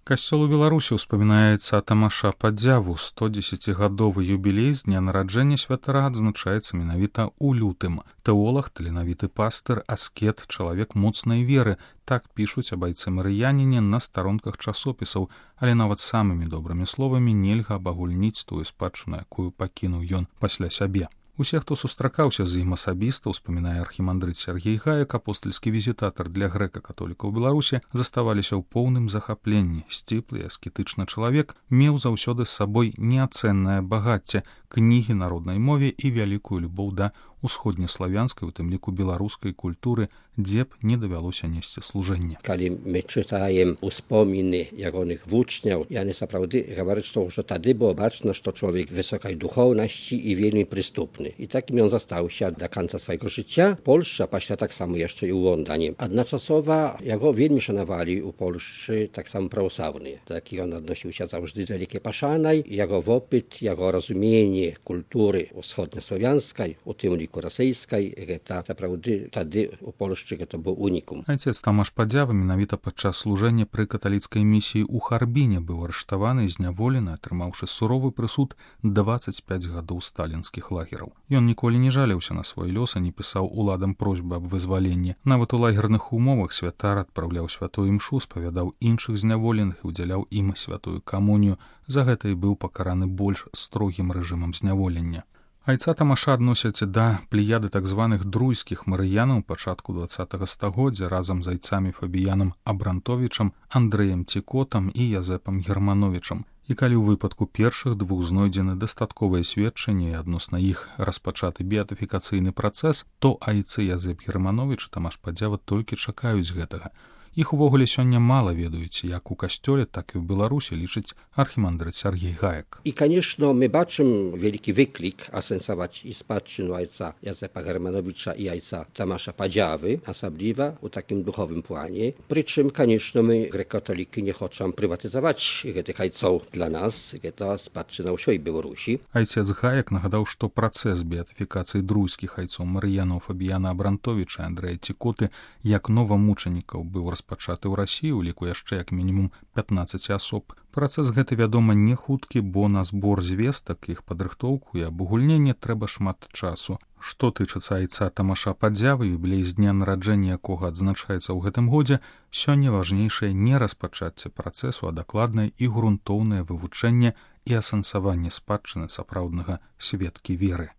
Касцёл у Беларусі ўспамінаецца Тамаша Падзяву. 110-гадовы юбілей з дня нараджэння святара адзначаецца менавіта ў лютым. Тэолаг, таленавіты пастыр, аскет, чалавек моцнай веры. Так пішуць аб айцы марыяніне на старонках часопісаў, але нават самымі добрымі словамі нельга абагульніць тую спадчыну, якую пакінуў ён пасля сябе. Усе, хто сустракаўся з ім асабіста, успамінае архімандрыт Сергей Гаек, апостальскі візітатар для грэка-католікаў Беларусі, заставаліся ў поўным захапленні. Сціплы, аскетычны чалавек меў заўсёды з сабой неацэннае багацце, кнігі на роднай мове і вялікую любоў да усходнеславянскай, у тым ліку беларускай культуры, дзе б не давялося несці служэнне. Калі мы чытаем успоміны ягоных вучняў, яны сапраўды гавораць, што тады было бачна, што чалавек высокай духоўнасці і вельмі прыступны. І такім ён застаўся да канца свайго жыцця. Польшча, пасля таксама яшчэ і ў Лондоне. Адначасова яго вельмі шанавалі ў Польшчы таксама праваслаўныя. Так ён адносіўся заўжды з вялікай пашанай. Яго вопыт, яго разуменне культуры усходнеславянскай, у тым ліку расейскай, гэта сапраўды тады у Польшчы гэта быў унікум. Айцец Тамаш Падзява менавіта падчас служэння пры каталіцкай місіі ў Харбіне быў арыштаваны і зняволены, атрымаўшы суровы прысуд 25 гадоў сталінскіх лагераў. Ён ніколі не жаліўся на свой лёс і не пісаў уладам просьбы аб вызваленні. Нават у лагерных умовах святар адпраўляў святую імшу, спавядаў іншых зняволеных і ўдзяляў ім святую камунію. За гэта і быў пакараны больш строгім рэжымам зняволення. Айца Тамаша адносяць да плеяды так званых друйскіх марыянаў пачатку 20-го стагоддзя разам з айцамі Фабіянам Абрантовічам, Андрэем Цікотам і Язэпам Германовічам. І калі ў выпадку першых двух знойдзены дастатковыя сведчанні і адносна іх распачаты беатыфікацыйны працэс, то айцы Язэп Германовіч і Тамаш Падзява толькі чакаюць гэтага. Іх увогуле сёння мала ведаюць, як у касцёле, так і ў Беларусі, лічыць архімандрыт Сергей Гаек. І, конечно, мы бачым вялікі выклік асэнсаваць і спадчыну айца Язэпа Германовича і айца Тамаша Падзявы, асабліва ў такім духовым плане. Прычым, конечно, мы, грэк-католікі, не хочам прыватызаваць гэтых айцоў для нас, гэта спадчына ўсёй Беларусі. Айцец Гаек нагадаў, што працэс беатыфікацыі друйскіх айцоў марыянаў Фабіяна Абрантовіча і Андрэя Цікоты як новамучанікаў быў распачаты ў Расіі, у ліку яшчэ як мінімум 15 асоб. Працэс гэты, вядома, не хуткі, бо на збор звестак, іх падрыхтоўку і абагульненне трэба шмат часу. Што тычыцца айца Тамаша Падзявы, юбілей з дня нараджэння якога адзначаецца ў гэтым годзе, сёння важнейшае не распачацце працэсу, а дакладнае і грунтоўнае вывучэнне і асэнсаванне спадчыны сапраўднага сведкі веры.